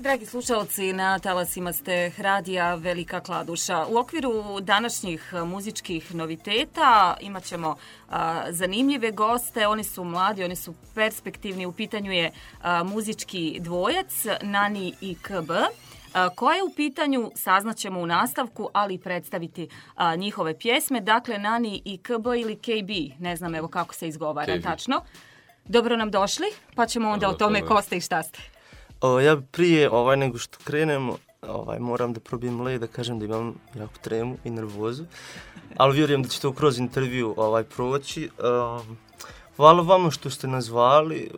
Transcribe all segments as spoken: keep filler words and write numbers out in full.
Dragi slušalci, na talasima ste radija Velika Kladuša. U okviru današnjih muzičkih noviteta imat ćemo a, zanimljive goste. Oni su mladi, oni su perspektivni. U pitanju je a, muzički dvojac Nani i K B. A, ko je u pitanju saznaćemo u nastavku, ali i predstaviti a, njihove pjesme. Dakle, Nani i K B ili K B, ne znam evo kako se izgovara K B. tačno. Dobro nam došli, pa ćemo onda o tome ko ste i šta ste. O, ja prije ovaj, nego što krenemo, ovaj, moram da probijem led, da kažem da imam jako tremu i nervozu, ali vjerujem da će to kroz intervju ovaj, proći. Um, hvala vama što ste nazvali,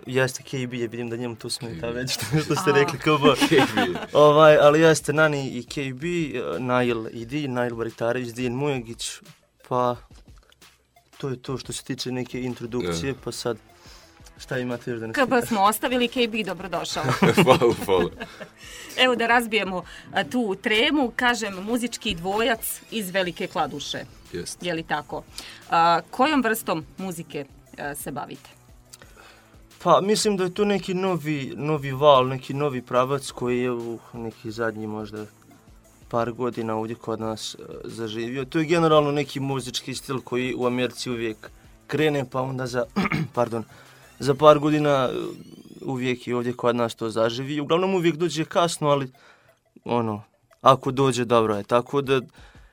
jeste K B, je vidim da njemu to smeta već što ste rekli K B. ovaj, ali jeste Nani i K B, Nail i Di, Nail Baritarević, Dijen Mujagić, pa to je to što se tiče neke introdukcije, pa sad šta imate još da ne K B smo ostavili, K B dobrodošao. Hvala, hvala. Evo da razbijemo a, tu tremu, kažem muzički dvojac iz Velike Kladuše. Jest. Je li tako? A, kojom vrstom muzike a, se bavite? Pa mislim da je to neki novi, novi val, neki novi pravac koji je u neki zadnji možda par godina ovdje kod nas uh, zaživio. To je generalno neki muzički stil koji u Americi uvijek krene, pa onda za, pardon, za par godina uvijek i ovdje kod nas to zaživi. Uglavnom uvijek dođe kasno, ali ono, ako dođe dobro je. Tako da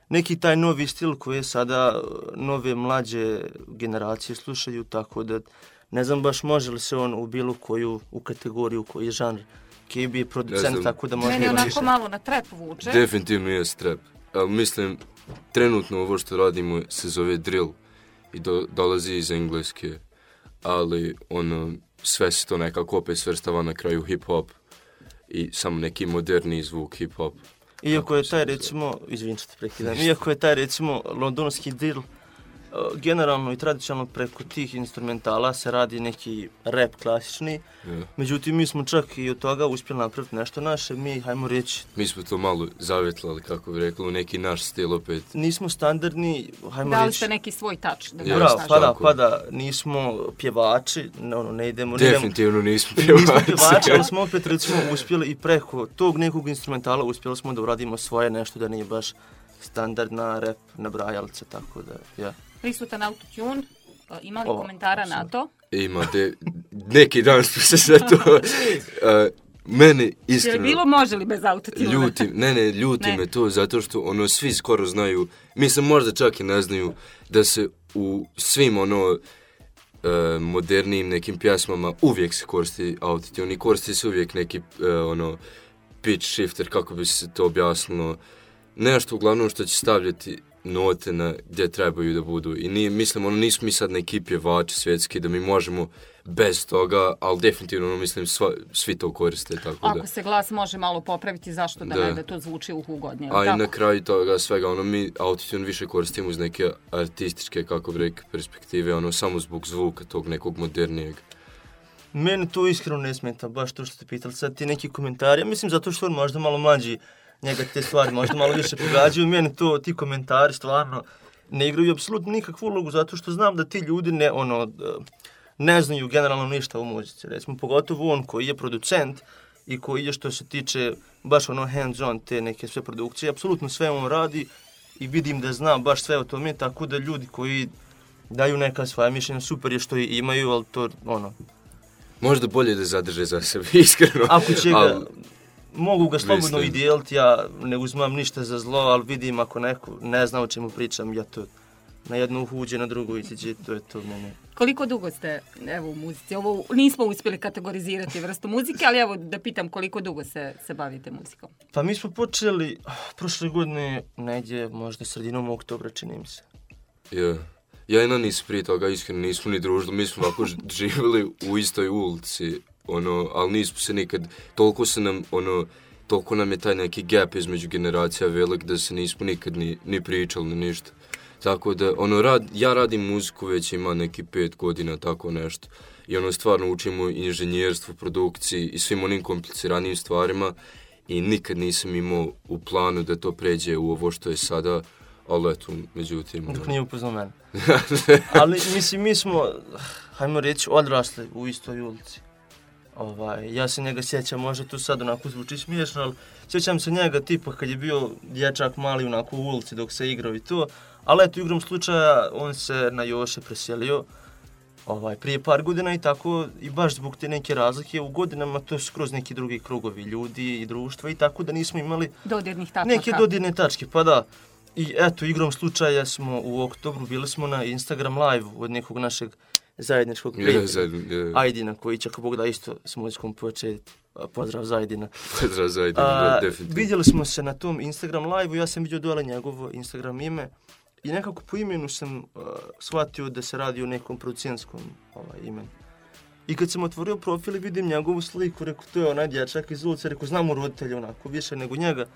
neki taj novi stil koji je sada nove mlađe generacije slušaju, tako da ne znam baš može li se on u bilo koju u kategoriju koji je žanr. K B je producent, tako da može... Meni onako malo na trap vuče. Definitivno je trap. Ali mislim, trenutno ovo što radimo se zove drill i do, dolazi iz engleske. Ali ono, sve se to nekako opet svrstava na kraju hip-hop i samo neki moderni zvuk hip-hop. Iako je taj, recimo, izvin što te prekidam, iako je taj, recimo, londonski drill, generalno i tradicionalno preko tih instrumentala se radi neki rap klasični, Yeah. Međutim, mi smo čak i od toga uspjeli napraviti nešto naše, mi, hajmo reći... Mi smo to malo zavjetlali, kako bi rekli, u neki naš stil opet. Nismo standardni, hajmo reći... Dali ste neki svoj touch. Da Ja, Bravo, pa da, tako. pa da, nismo pjevači, ne, ono, ne idemo... Definitivno ne nismo idemo, nismo pjevači. pjevači, ali smo opet, recimo, uspjeli i preko tog nekog instrumentala uspjeli smo da uradimo svoje nešto da nije baš standardna rap nabrajalca, tako da, ja. Prisutan autotune, imali Ovo, komentara na to? Imate, neki dan smo se sve to... Uh, mene Je li iskreno... bilo može li bez autotune? Ljuti, ne, ne, ljuti Ne. me to zato što ono svi skoro znaju, mislim možda čak i ne znaju da se u svim ono e, modernijim nekim pjesmama uvijek se koristi autotune i koristi se uvijek neki e, ono pitch shifter, kako bi se to objasnilo, nešto uglavnom što će stavljati note na gdje trebaju da budu i nije, mislim, ono nismo mi sad neki pjevači svjetski da mi možemo bez toga, ali definitivno ono, mislim sva, svi to koriste, tako da. Ako se glas može malo popraviti, zašto da, Da. ne, da to zvuči ugodnije? A i tako? na kraju toga svega, ono, mi autotune više koristimo iz neke artističke, kako bi rekli, perspektive, ono, samo zbog zvuka tog nekog modernijeg. Mene to iskreno ne smeta, baš to što ste pitali. Sad ti neki komentari, ja mislim zato što on možda malo mlađi, njega te stvari možda malo više pogađaju. Mene to, ti komentari stvarno ne igraju apsolutno nikakvu ulogu, zato što znam da ti ljudi ne, ono, ne znaju generalno ništa o muzici. Recimo, pogotovo on koji je producent i koji je što se tiče baš ono hands-on te neke sve produkcije, apsolutno sve on radi i vidim da zna baš sve o tome, tako da ljudi koji daju neka svoja mišljenja, super je što i imaju, ali to, ono... Možda bolje da zadrže za sebe, iskreno. Ako će ga, Al, mogu ga slobodno mislim. i dijeliti, ja ne uzmam ništa za zlo, ali vidim ako neko ne zna o čemu pričam, ja to na jednu uhuđe, na drugu iziđe, to je to mene. Koliko dugo ste evo, u muzici? Ovo nismo uspjeli kategorizirati vrstu muzike, ali evo da pitam koliko dugo se, se bavite muzikom. Pa mi smo počeli prošle godine, negdje možda sredinom oktobra, čini mi se. ja. Ja i Nani prije toga iskreno nismo ni družili, mi smo ovako ž- živjeli u istoj ulici, ono, ali nismo se nikad, toliko se nam, ono, toliko nam je taj neki gap između generacija velik da se nismo nikad ni, ni pričali, ni ništa. Tako da, ono, rad, ja radim muziku već ima neki pet godina, tako nešto. I ono, stvarno učimo inženjerstvo, produkciji i svim onim kompliciranijim stvarima i nikad nisam imao u planu da to pređe u ovo što je sada, ali eto, međutim... Dok nije upoznao mene. Ali, mislim, mi smo, hajmo reći, odrasli u istoj ulici. Ovaj, ja se njega sjećam, možda to sad onako zvuči smiješno, ali sjećam se njega tipa kad je bio dječak mali onako u ulici dok se igrao i to. Ali eto, igrom slučaja, on se na Joše preselio ovaj, prije par godina i tako, i baš zbog te neke razlike u godinama, to su kroz neki drugi krugovi ljudi i društva i tako da nismo imali dodirnih tačaka. Neke dodirne tačke, pa da. I eto, igrom slučaja smo u oktobru, bili smo na Instagram live od nekog našeg zajedničkog prijatelja, yeah, yeah. Ajdina, koji će ako Bog da isto s muzikom početi. Pozdrav za Ajdina. Pozdrav za Ajdina, definitivno. Vidjeli smo se na tom Instagram live-u, ja sam vidio dole njegovo Instagram ime i nekako po imenu sam uh, shvatio da se radi o nekom producentskom ovaj, imenu. I kad sam otvorio profil i vidim njegovu sliku, rekao, to je onaj dječak iz ulice, rekao, znamo roditelja onako, više nego njega.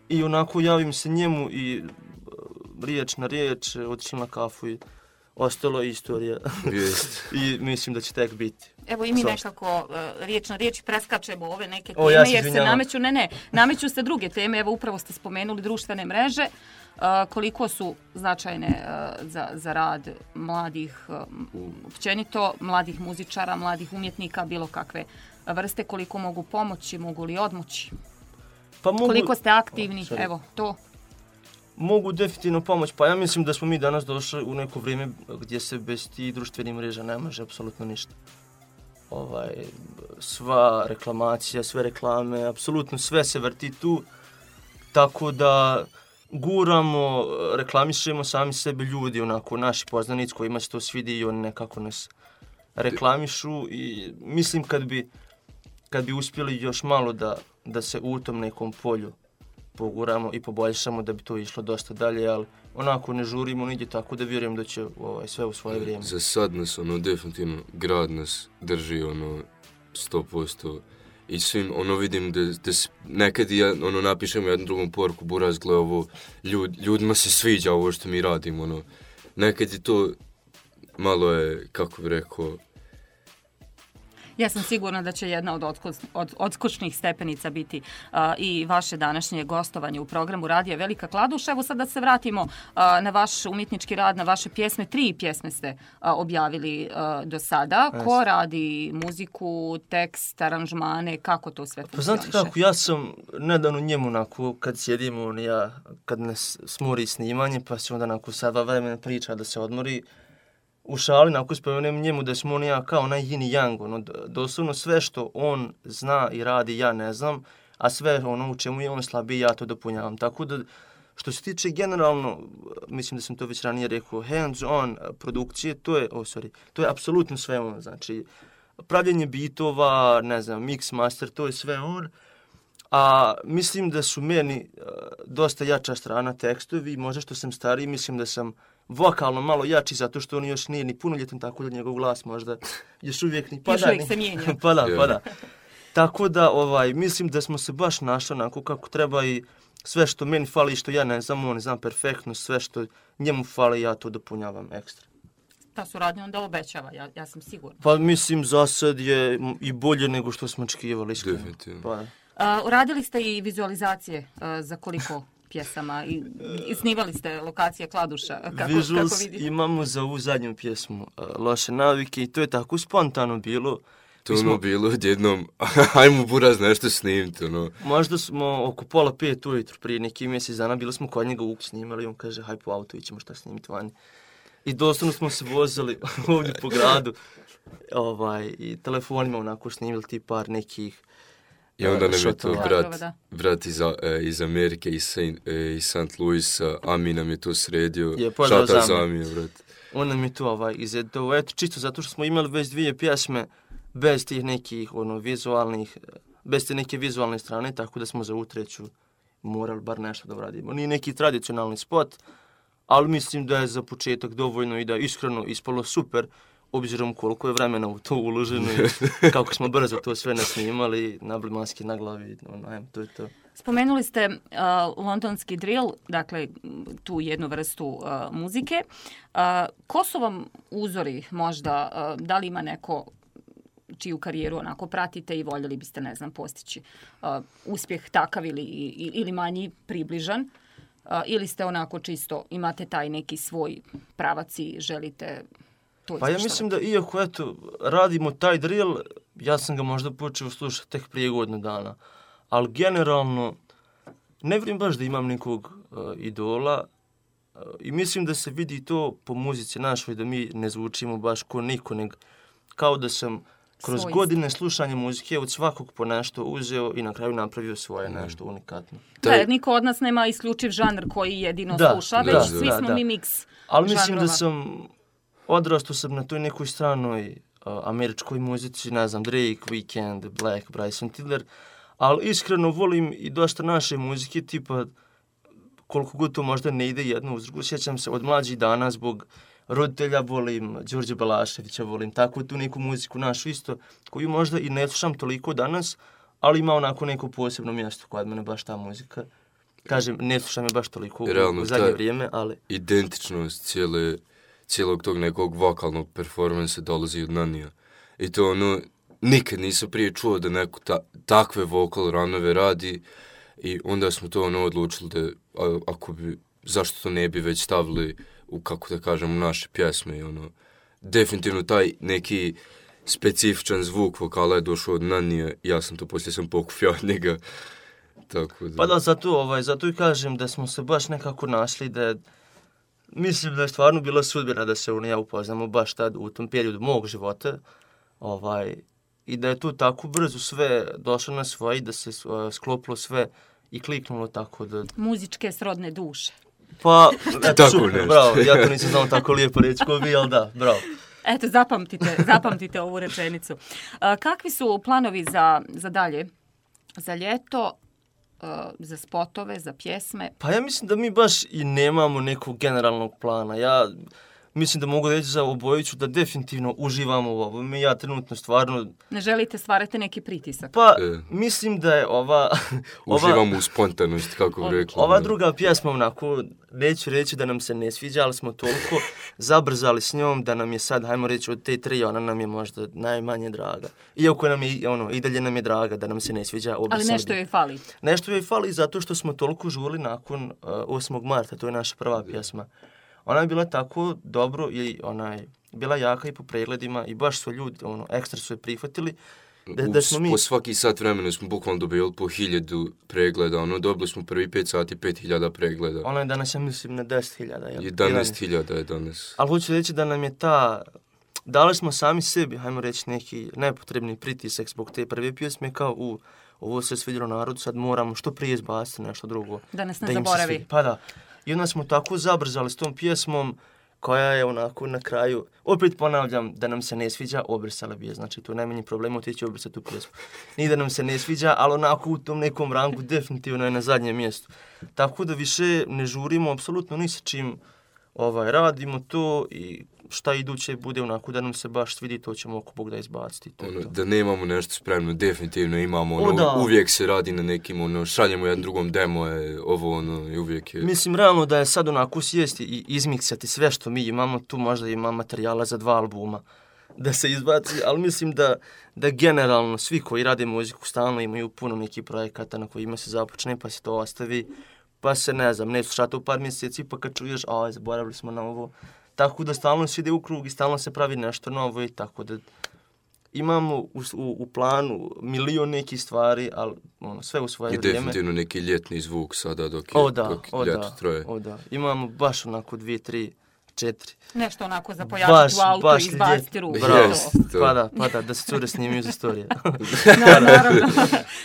I onako javim se njemu i uh, riječ na riječ, otišli na kafu i ostalo je istorija. I mislim da će tek biti. Evo i mi Svašta. nekako uh, riječ na riječ preskačemo ove neke teme, o, ja jer se nameću, ne, ne, nameću se druge teme. Evo upravo ste spomenuli društvene mreže. Uh, koliko su značajne uh, za, za rad mladih, uh, općenito mladih muzičara, mladih umjetnika, bilo kakve vrste, koliko mogu pomoći, mogu li odmoći? Pa mogu... Koliko ste aktivni, oh, evo, to. Mogu definitivno pomoći, pa ja mislim da smo mi danas došli u neko vrijeme gdje se bez tih društvenih mreža ne može apsolutno ništa. Ovaj, sva reklamacija, sve reklame, apsolutno sve se vrti tu, tako da guramo, reklamišemo sami sebe ljudi, onako, naši poznanici kojima se to svidi i oni nekako nas reklamišu i mislim kad bi, kad bi uspjeli još malo da, da se u tom nekom polju poguramo i poboljšamo da bi to išlo dosta dalje, ali onako ne žurimo nigdje, tako da vjerujem da će ovaj, sve u svoje vrijeme. Za sad nas, ono, definitivno, grad nas drži, ono, sto posto. I svim, ono, vidim da, da nekad ja, ono, napišem jednu drugom poruku, buraz, gle, ovo, ljud, ljudima se sviđa ovo što mi radimo, ono. Nekad je to, malo je, kako bi rekao, ja sam sigurna da će jedna od, odsko, od odskočnih stepenica biti uh, i vaše današnje gostovanje u programu Radija Velika Kladuša. Evo sad da se vratimo uh, na vaš umjetnički rad, na vaše pjesme. Tri pjesme ste uh, objavili uh, do sada. Yes. Ko radi muziku, tekst, aranžmane, kako to sve funkcioniše? Pa znate kako, ja sam nedavno njemu onako, kad sjedimo, on ja, kad nas smori snimanje, pa se onda onako sad dva vremena priča da se odmori, u šali, nakon spomenem njemu da smo on ja kao onaj yin i yang, ono, doslovno sve što on zna i radi, ja ne znam, a sve ono u čemu je on slabiji, ja to dopunjavam. Tako da, što se tiče generalno, mislim da sam to već ranije rekao, hands-on produkcije, to je, oh, sorry, to je apsolutno sve on, znači, pravljenje bitova, ne znam, mix, master, to je sve on, a mislim da su meni uh, dosta jača strana tekstovi, možda što sam stariji, mislim da sam vokalno malo jači, zato što on još nije ni punoljetan, tako da njegov glas možda još uvijek ni pada. Još uvijek se mijenja. pa da, pa da. Tako da, ovaj, mislim da smo se baš našli onako kako treba i sve što meni fali i što ja ne znam, on ne znam perfektno, sve što njemu fali, ja to dopunjavam ekstra. Ta suradnja onda obećava, ja, ja sam sigurna. Pa mislim, za sad je i bolje nego što smo očekivali. Definitivno. Pa, uh, uradili ste i vizualizacije uh, za koliko pjesama i, i snimali ste lokacije Kladuša, kako, Visuals kako vidite? Imamo za ovu zadnju pjesmu uh, Loše navike i to je tako spontano bilo. To ono smo, bilo odjednom, ajmo buraz nešto snimiti, ono. Možda smo oko pola pet ujutru prije neki mjesec dana, bili smo kod njega uk snimali i on kaže, haj po auto, ićemo šta snimiti vani. I doslovno smo se vozili ovdje po gradu ovaj, i telefonima onako snimili ti par nekih. I onda nam je to brat, brat iz, iz Amerike, iz, Saint, iz Saint Louisa, Ami nam je to sredio. Je, šata za Ami, brat. On nam je to ovaj, izredao, eto, čisto zato što smo imali već dvije pjesme bez tih nekih ono, vizualnih, bez te neke vizualne strane, tako da smo za utreću morali bar nešto da uradimo. Nije neki tradicionalni spot, ali mislim da je za početak dovoljno i da iskreno ispalo super, obzirom koliko je vremena u to uloženo i kako smo brzo to sve nasnimali, nabili maske na glavi, ono, to je to. Spomenuli ste uh, londonski drill, dakle tu jednu vrstu uh, muzike. Uh, ko su vam uzori možda, uh, da li ima neko čiju karijeru onako pratite i voljeli biste, ne znam, postići uh, uspjeh takav ili, ili manji približan? Uh, ili ste onako čisto, imate taj neki svoj pravac i želite to Pa ja mislim da iako eto, radimo taj drill, ja sam ga možda počeo slušati tek prije godinu dana. Ali generalno, ne vjerujem baš da imam nekog uh, idola uh, i mislim da se vidi to po muzici našoj, da mi ne zvučimo baš ko niko, nego kao da sam kroz Svoj godine slušanja muzike od svakog po nešto uzeo i na kraju napravio svoje nešto unikatno. Da, jer niko od nas nema isključiv žanr koji jedino Da, sluša, da, već da, svi da, smo da. mi miks Ali mislim žanrova. da sam, odrastao sam na toj nekoj stranoj uh, američkoj muzici, ne znam, Drake, Weeknd, Black, Bryson Tiller, ali iskreno volim i dosta naše muzike, tipa koliko god to možda ne ide jedno uz drugu. Sjećam se od mlađih dana zbog roditelja volim Đorđe Balaševića, volim tako tu neku muziku našu isto, koju možda i ne slušam toliko danas, ali ima onako neko posebno mjesto kod mene baš ta muzika. Kažem, ne slušam je baš toliko Realno, u zadnje ta vrijeme, ali... Identičnost cijele, cijelog tog nekog vokalnog performansa dolazi od Nanija. I to ono, nikad nisam prije čuo da neko ta, takve vokal ranove radi i onda smo to ono odlučili da a, ako bi, zašto to ne bi već stavili u, kako da kažem, u naše pjesme i ono, definitivno taj neki specifičan zvuk vokala je došao od Nanija, ja sam to poslije sam pokupio od njega. Tako da... Pa da, zato, ovaj, zato i kažem da smo se baš nekako našli, da je, mislim da je stvarno bila sudbina da se on i ja upoznamo baš tad u tom periodu mog života, ovaj, i da je to tako brzo sve došlo na svoje i da se uh, sklopilo sve i kliknulo tako da... Muzičke srodne duše. Pa, eto, Tako super, nešto. bravo, ja to nisam znao tako lijepo reći ko vi, ali da, bravo. Eto, zapamtite, zapamtite ovu rečenicu. A, kakvi su planovi za, za dalje? Za ljeto, a, za spotove, za pjesme? Pa ja mislim da mi baš i nemamo nekog generalnog plana. Ja mislim da mogu reći za obojicu da definitivno uživamo u ovome. Ja trenutno stvarno... Ne želite stvarati neki pritisak? Pa, E. mislim da je ova... ova Uživamo u spontanosti, kako bi rekli. Ova druga pjesma, onako, neću reći da nam se ne sviđa, ali smo toliko zabrzali s njom da nam je sad, hajmo reći, od te tri, ona nam je možda najmanje draga. Iako nam je, ono, i dalje nam je draga da nam se ne sviđa. Ali nešto joj fali. Nešto joj fali zato što smo toliko žurili nakon uh, osmog marta, to je naša prva pjesma. Ona je bila tako dobro i ona je bila jaka i po pregledima i baš su ljudi, ono, ekstra su je prihvatili. Da, da smo mi... Po svaki sat vremena smo bukvalno dobili po hiljadu pregleda, ono, dobili smo prvi pet sati, pet hiljada pregleda. Ona je danas, ja mislim, na deset hiljada. jedanaest hiljada je danas. Ali hoću reći da nam je ta... Dali smo sami sebi, hajmo reći, neki nepotrebni pritisak zbog te prve pjesme, kao u ovo se svidjelo narodu, sad moramo što prije izbaciti nešto drugo. Da nas ne da im se zaboravi. svidi. Pa da. I onda smo tako zabrzali s tom pjesmom, koja je onako na kraju, opet ponavljam, da nam se ne sviđa, obrisala bi je. Znači, to je najmanji problem, otići obrisati tu pjesmu. Nije da nam se ne sviđa, ali onako u tom nekom rangu definitivno je na zadnjem mjestu. Tako da više ne žurimo apsolutno ni sa čim, ovaj, radimo to i šta iduće bude onako da nam se baš svidi, to ćemo oko Bog da izbaciti. To, Ono, to. da nemamo nešto spremno, definitivno imamo, ono, O, da. uvijek se radi na nekim, ono, šaljemo jedan drugom demo, je, ovo, ono, i uvijek je... Mislim, realno da je sad onako sjesti i izmiksati sve što mi imamo, tu možda ima materijala za dva albuma da se izbaci, ali mislim da, da generalno svi koji rade muziku stalno imaju puno nekih projekata na kojima se započne, pa se to ostavi, pa se, ne znam, ne slušate u par mjeseci, pa kad čuješ, a, zaboravili smo na ovo. Tako da stalno se ide u krug i stalno se pravi nešto novo i tako da imamo u, u, u planu milion nekih stvari, ali ono, sve u svoje I vrijeme. definitivno neki ljetni zvuk sada dok je, O da, dok o ljeto da, traje. o da. Imamo baš onako dvije, tri, četiri. Nešto onako za pojačati Baš, u autu baš i izbaciti ljet- ruku. Bravo, Jest, to. pa da, pa da, da se cure snimaju za storije. Na, naravno,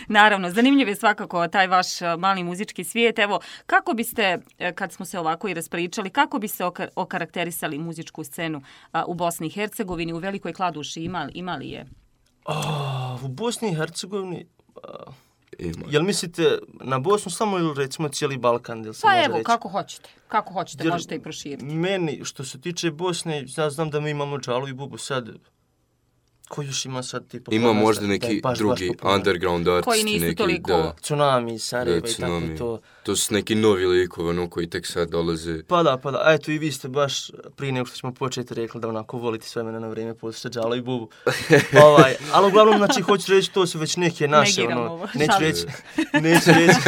naravno, zanimljiv je svakako taj vaš a, mali muzički svijet. Evo, kako biste, e, kad smo se ovako i raspričali, kako biste oka- okarakterisali muzičku scenu a, u Bosni i Hercegovini, u Velikoj Kladuši, imali, imali je? Oh, u Bosni i Hercegovini, a, Ima. jel mislite na Bosnu samo ili recimo cijeli Balkan? Jel se Pa može evo, reći? kako hoćete. Kako hoćete, Jer možete i proširiti. Meni, što se tiče Bosne, ja znam da mi imamo Džalu i Bubu sad. Ko još ima sad tipa? Ima kod nas možda da- da je neki baš, drugi baš popularan? underground artisti, Koji nisu neki, toliko- da, Tsunami, Sarajeva da, i tako Tsunami. to. To su neki novi likovi, ono, koji tek sad dolaze. Pa da, pa da. A eto i vi ste baš prije nego što ćemo početi rekli da onako volite sve mene na vrijeme poslušati Džala i Bubu. ovaj, ali uglavnom, znači, hoću reći, to su već neke naše, Negiram ono, ovo, neću šalim reći, neću reći,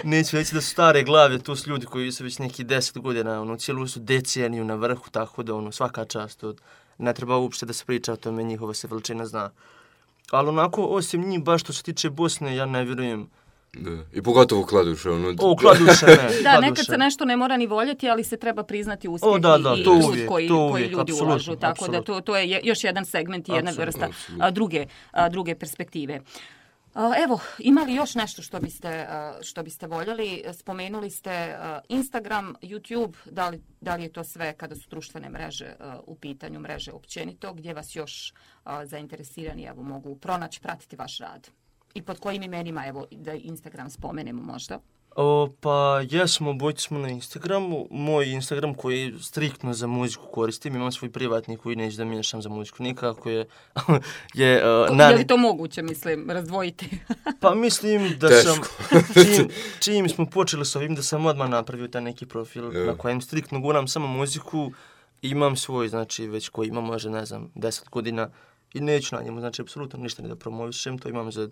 neću reći da su stare glave, to su ljudi koji su već neki deset godina, ono, cijelu su deceniju na vrhu, tako da, ono, svaka čast od, ne treba uopšte da se priča o tome, njihova se veličina zna. ali onako, osim njih, baš što se tiče Bosne, ja ne vjerujem. Da. I pogotovo Kladuša. Ono... O, Kladuša ne. Da, Kladuša. nekad se nešto ne mora ni voljeti, ali se treba priznati uspjeh o, da, da, i trud uvijek, koji, to koji uvijek, ljudi apsolutno, ulažu. Tako apsolutno. da to, to je još jedan segment i jedna Apsolutno, vrsta apsolutno. a, druge, a, druge perspektive. A, evo, ima li još nešto što biste, a, što biste voljeli? Spomenuli ste a, Instagram, YouTube, da li, da li je to sve kada su društvene mreže a, u pitanju, mreže općenito, gdje vas još a, zainteresirani evo, mogu pronaći, pratiti vaš rad? I pod kojim imenima, evo, da Instagram spomenemo možda? O, pa jesmo, obojci smo na Instagramu. Moj Instagram koji striktno za muziku koristim, imam svoj privatni koji neću da miješam za muziku nikako je... je, uh, na... je li to moguće, mislim, razdvojiti? Pa mislim da Teško. sam, čim, čim smo počeli s ovim, da sam odmah napravio taj neki profil yeah. na kojem striktno guram samo muziku. Imam svoj, znači već koji ima možda, ne znam, deset godina i neću na njemu, znači apsolutno ništa ne da promovišem, to imam za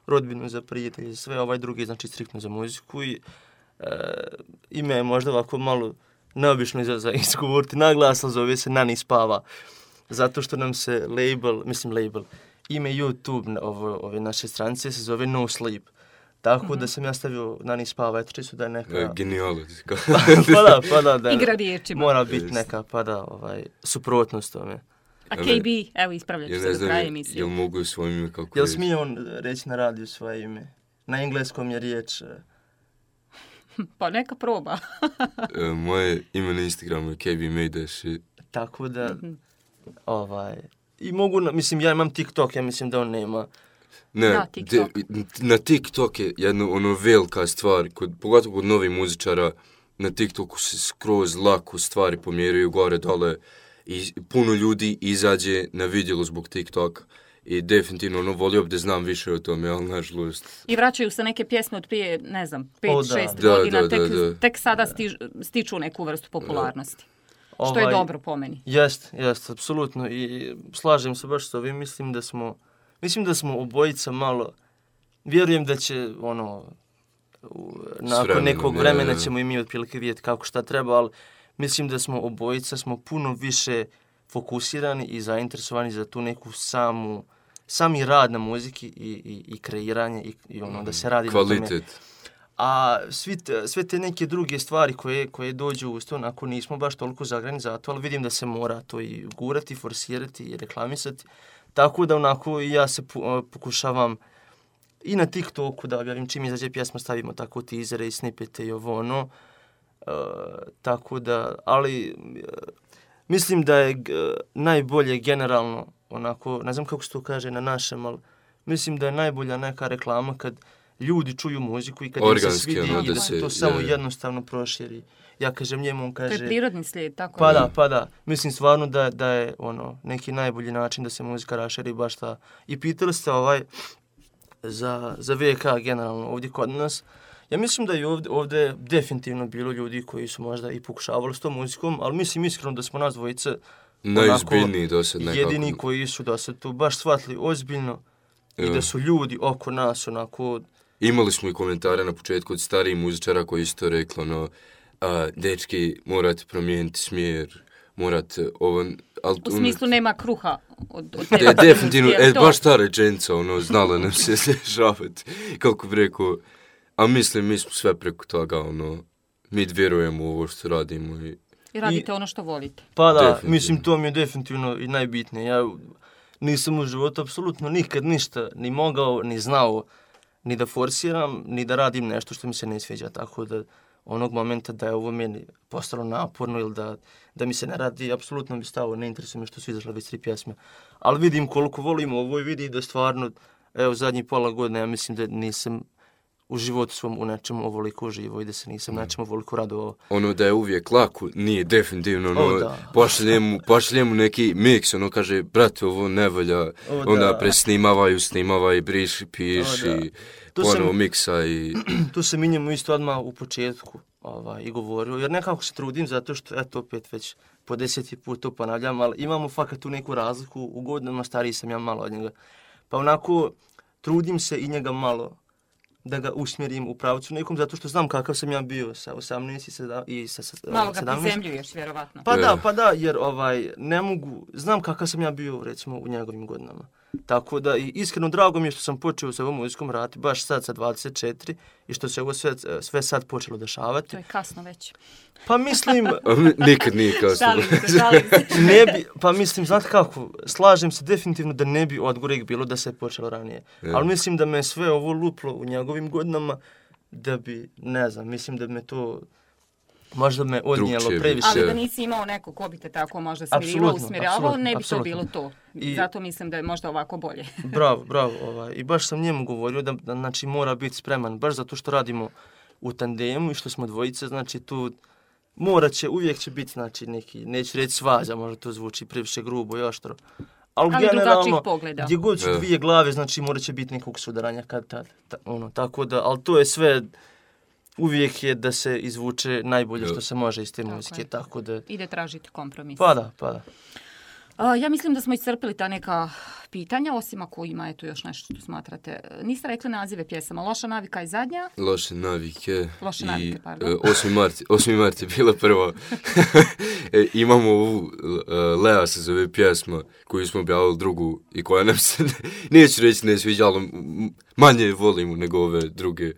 rodbinu, za prijatelje, za sve, ovaj drugi, znači striktno za muziku i e, ime je možda ovako malo neobično za, za izgovoriti naglas, ali zove se Nani spava, zato što nam se label, mislim label, ime YouTube ovo, ove naše stranice se zove No Sleep, tako mm-hmm. da sam ja stavio Nani spava, eto čisto da je neka... E, Genijalo. pa da, pa da, da igra riječima. Mora biti neka, pa da, ovaj, suprotnost tome. A K B, evo ispravljat ću se do kraja emisije. Jel mogu svojim ime kako Jel smije on reći na radiju svoje ime? Na engleskom je riječ... Pa neka proba. e, moje ime na Instagramu je K B Mejdaš. Tako da, mm-hmm. ovaj... I mogu, na, mislim, ja imam TikTok, ja mislim da on nema. Ne, da, TikTok. De, na TikTok je jedna ono velika stvar, kod, pogotovo kod novih muzičara, na TikToku se skroz lako stvari pomjeraju gore, dole, i puno ljudi izađe na vidjelo zbog TikToka. I definitivno ono volio bi da znam više o tome, ali nažalost... I vraćaju se neke pjesme od prije, ne znam, pet, o, šest da. godina, da, da, tek, da, da. tek sada stiž, stiču neku vrstu popularnosti. Da. Što je ovaj, dobro po meni. Jest, jest, apsolutno. I slažem se baš s ovim, mislim da smo, mislim da smo obojica malo, vjerujem da će, ono, u, nakon vremenom, nekog vremena je, ćemo i mi otprilike vidjeti kako šta treba, ali mislim da smo obojica, smo puno više fokusirani i zainteresovani za tu neku samu, sami rad na muziki i, i, i kreiranje i, i ono, da se radi kvalitet. Na tome. A svi te, sve te neke druge stvari koje, koje dođu uz to, onako nismo baš toliko zagrani za to, ali vidim da se mora to i gurati, forsirati i reklamisati. Tako da onako ja se pokušavam i na TikToku da objavim čim izađe pjesma, stavimo tako teasere i snippete i ovo ono. Uh, tako da, ali uh, mislim da je g, najbolje generalno, onako, ne znam kako se to kaže na našem, ali mislim da je najbolja neka reklama kad ljudi čuju muziku i kad im se svidi ono, i da se to samo je, jednostavno proširi. Ja kažem njemu, on kaže... To je prirodni slijed, tako Pa je. da, pa da. Mislim stvarno da, da je ono neki najbolji način da se muzika raširi baš ta. I pitali ste ovaj za, za V K generalno ovdje kod nas. Ja mislim da je ovdje, ovdje definitivno bilo ljudi koji su možda i pokušavali s tom muzikom, ali mislim iskreno da smo nas dvojice najizbiljniji do sad nekako. Jedini koji su da se to baš shvatili ozbiljno i da su ljudi oko nas onako... Imali smo i komentare na početku od starijih muzičara koji su to rekli, ono, a, dečki, morate promijeniti smjer, morate ovo... Al, u smislu ono, nema kruha od, od tebe. De, definitivno, e, baš ta rečenica, ono, znala nam se rješavati, kako bi rekao, a mislim, mi smo sve preko toga, ono, mi vjerujemo u ovo što radimo. I, I radite I, ono što volite. Pa da, mislim, to mi je definitivno i najbitnije. Ja nisam u životu apsolutno nikad ništa ni mogao, ni znao, ni da forsiram, ni da radim nešto što mi se ne sviđa, tako da onog momenta da je ovo meni postalo naporno ili da, da mi se ne radi, apsolutno mi stavo, ne interesuje me što su izašle već tri pjesme. Ali vidim koliko volim ovo i vidim da stvarno, evo zadnjih pola godine, ja mislim da nisam u životu svom u nečemu ovoliko uživo i da se nisam nečemu ovoliko radovao. Ono da je uvijek lako, nije definitivno, ono, pošljemu, pošljemu neki miks, ono kaže, brate, ovo ne valja, o, onda presnimavaju, snimavaju, briši, piši, ponovo miksa i... Tu se minjamo isto odmah u početku ovaj, i govorio, jer nekako se trudim zato što, eto, opet već po deseti put to ponavljam, ali imamo fakat tu neku razliku, u godinama stariji sam ja malo od njega. Pa onako, trudim se i njega malo da ga usmjerim u pravcu nekom, zato što znam kakav sam ja bio sa osamnaest i sa sedamnaest. Malo ga prizemljuješ, vjerovatno. Pa da, pa da, jer ovaj, ne mogu, znam kakav sam ja bio, recimo, u njegovim godinama. Tako da, i iskreno drago mi je što sam počeo sa ovom muzikom raditi baš sad sa dvadeset četiri i što se ovo sve, sve sad počelo dešavati. To je kasno već. Pa mislim... Nikad nije kasno. Šalim se, šalim se. Ne bi, pa mislim, znate kako, slažem se definitivno da ne bi odgorek bilo da se je počelo ranije. Ja. Ali mislim da me sve ovo luplo u njegovim godinama, da bi, ne znam, mislim da bi me to... Možda me odnijelo Drugčije bi. previše. Ali da nisi imao neko ko bi te tako možda smirivao, Apsolutno, usmjeravao, apsolutno, ne bi apsolutno. to bilo to. I- Zato mislim da je možda ovako bolje. Bravo, bravo. Ovaj. I baš sam njemu govorio da, da znači, mora biti spreman, baš zato što radimo u tandemu i što smo dvojice, znači tu mora će, uvijek će biti, znači, neki, neću reći svađa, možda to zvuči previše grubo i oštro. Ali, Ali drugačijih generalno, pogleda. gdje god su Ja. dvije glave, znači morat će biti nekog sudaranja kad tad. Ta, ono, tako da, ali to je sve, uvijek je da se izvuče najbolje Ja. što se može iz te Tako muzike, je. tako da... Ide tražiti kompromis. Pa da, pa da. A, ja mislim da smo iscrpili ta neka pitanja, osim ako ima eto još nešto što smatrate. Niste rekli nazive pjesama. Loša navika je zadnja. Loše navike. Loše i, navike, pardon. e, osmi mart, osmi mart je bila prva. e, imamo ovu, uh, Lea se zove pjesma koju smo objavili drugu i koja nam se, neću reći ne sviđa, ali m- manje volimo nego ove druge.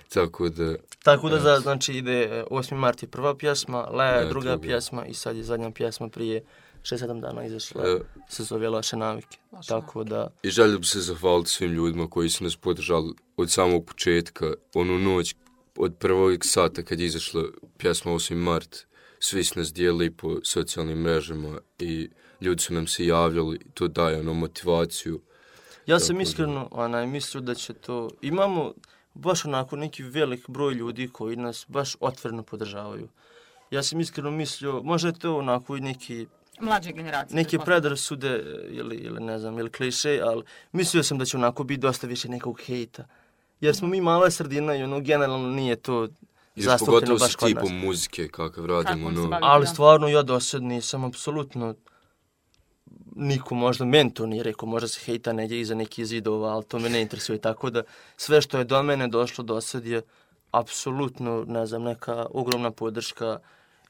Tako da, Tako da, za, znači, ide e, osmi mart je prva pjesma, Lea je E, druga druga. pjesma i sad je zadnja pjesma prije šest sedam dana izašla, e, se zove Loše navike. Loše Tako da, i želio bi se zahvaliti svim ljudima koji su nas podržali od samog početka, onu noć od prvog sata kad je izašla pjesma osmi mart. Svi su nas dijelili po socijalnim mrežama i ljudi su nam se javljali, to daje ono motivaciju. ja Tako sam da. iskreno onaj, mislio da će to... Imamo baš onako neki velik broj ljudi koji nas baš otvoreno podržavaju. Ja sam iskreno mislio, možda je to onako i neki, Mlađe generacije. neke pretpostavljam. predrasude ili, ili ne znam, ili kliše, ali mislio sam da će onako biti dosta više nekog hejta. Jer smo mi mala sredina i ono generalno nije to Još zastupljeno pogotovo baš sa kod nas. tipom muzike kakav radimo. Kakvom se ono, bavi. Ali Da. stvarno ja do sad nisam apsolutno niko možda men to nije rekao, možda se hejta negdje iza nekih zidova, ali to me ne interesuje. Tako da sve što je do mene došlo do sad je apsolutno, ne znam, neka ogromna podrška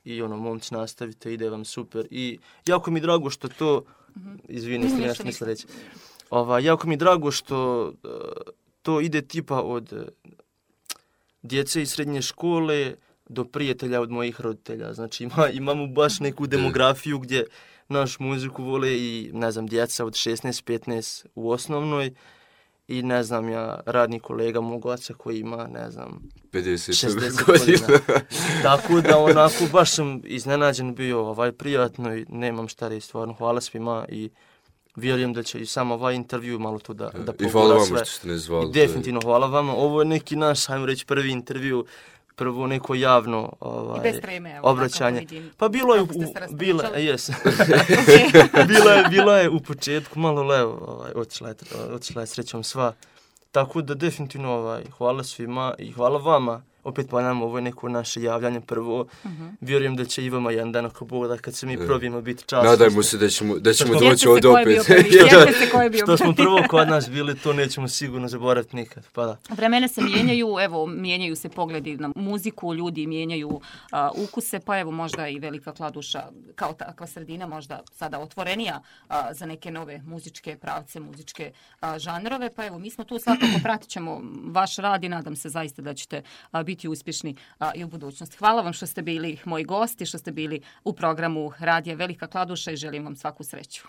i ono, momci nastavite, ide vam super. I jako mi je drago što to, izvini, ste mi Ništa, nešto ništa. misle reći. Ova, jako mi je drago što uh, to ide tipa od uh, djece iz srednje škole do prijatelja od mojih roditelja. Znači ima, imamo baš neku demografiju gdje naš muziku vole i, ne znam, djeca od šesnaest petnaest u osnovnoj i, ne znam, ja, radni kolega mog oca koji ima, ne znam, pedeset šezdeset godina. godina. Tako da onako baš sam iznenađen bio, ovaj, prijatno i nemam šta reći, stvarno hvala svima i vjerujem da će i sam ovaj intervju malo to da, da I hvala pogura vama sve. što ste ne zvali. I definitivno hvala vama. Ovo je neki naš, ajmo reći, prvi intervju, prvo neko javno I ovaj, bez treme, evo, obraćanje. kako vidim. Pa bilo je, u, Kako ste se raspričali. bila, jes. Ok. bila, je, bila je u početku malo levo, ovaj, otišla je, otišla je srećom sva. Tako da definitivno ovaj, hvala svima i hvala vama. Opet ponavljam, ovo je neko naše javljanje prvo. Mhm. Vjerujem da će i vama jedan dan ako Bog da kad se mi Da. probijemo biti čast. Nadajmo se da ćemo, da ćemo Sjetite doći se ovdje ko je bio opet. prvi, sjetite se ko je bio Što smo prvi. prvo kod nas bili, to nećemo sigurno zaboraviti nikad. Pa da. Vremena se mijenjaju, evo, mijenjaju se pogledi na muziku, ljudi mijenjaju a, ukuse, pa evo možda i Velika Kladuša kao takva sredina možda sada otvorenija a, za neke nove muzičke pravce, muzičke a, žanrove, pa evo mi smo tu svakako pratit ćemo vaš rad i nadam se zaista da ćete a, biti uspješni a, i u budućnosti. Hvala vam što ste bili moji gosti, što ste bili u programu Radija Velika Kladuša i želim vam svaku sreću.